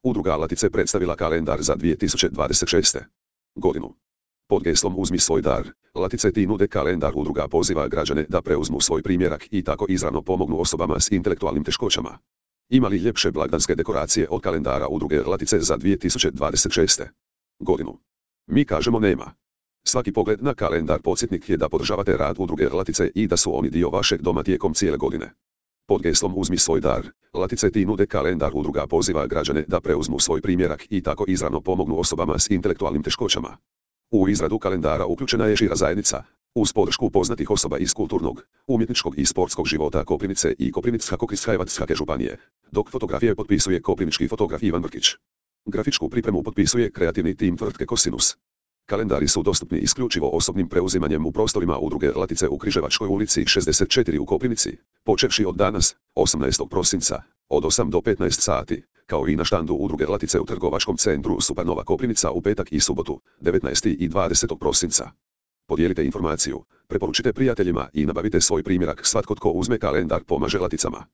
Udruga Latice predstavila kalendar za 2026. godinu. Pod geslom Uzmi svoj dar, Latice ti nude kalendar. Udruga poziva građane da preuzmu svoj primjerak i tako izravno pomognu osobama s intelektualnim teškoćama. Ima li ljepše blagdanske dekoracije od kalendara Udruge Latice za 2026. godinu? Mi kažemo nema. Svaki pogled na kalendar podsjetnik je da podržavate rad Udruge Latice i da su oni dio vašeg doma tijekom cijele godine. Pod geslom Uzmi svoj dar, Latice ti nude kalendar. Udruga poziva građane da preuzmu svoj primjerak i tako izravno pomognu osobama s intelektualnim teškoćama. U izradu kalendara uključena je šira zajednica, uz podršku poznatih osoba iz kulturnog, umjetničkog i sportskog života Koprivnice i Koprivnicko-križevačke županije, dok fotografije potpisuje koprivnički fotograf Ivan Vrkić. Grafičku pripremu potpisuje kreativni tim tvrtke Kosinus. Kalendari su dostupni isključivo osobnim preuzimanjem u prostorima Udruge Latice u Križevačkoj ulici 64 u Koprivnici, počevši od danas, 18. prosinca, od 8 do 15 sati, kao i na štandu Udruge Latice u trgovačkom centru Supernova Koprivnica u petak i subotu, 19. i 20. prosinca. Podijelite informaciju, preporučite prijateljima i nabavite svoj primjerak. Svatko tko uzme kalendar pomaže Laticama.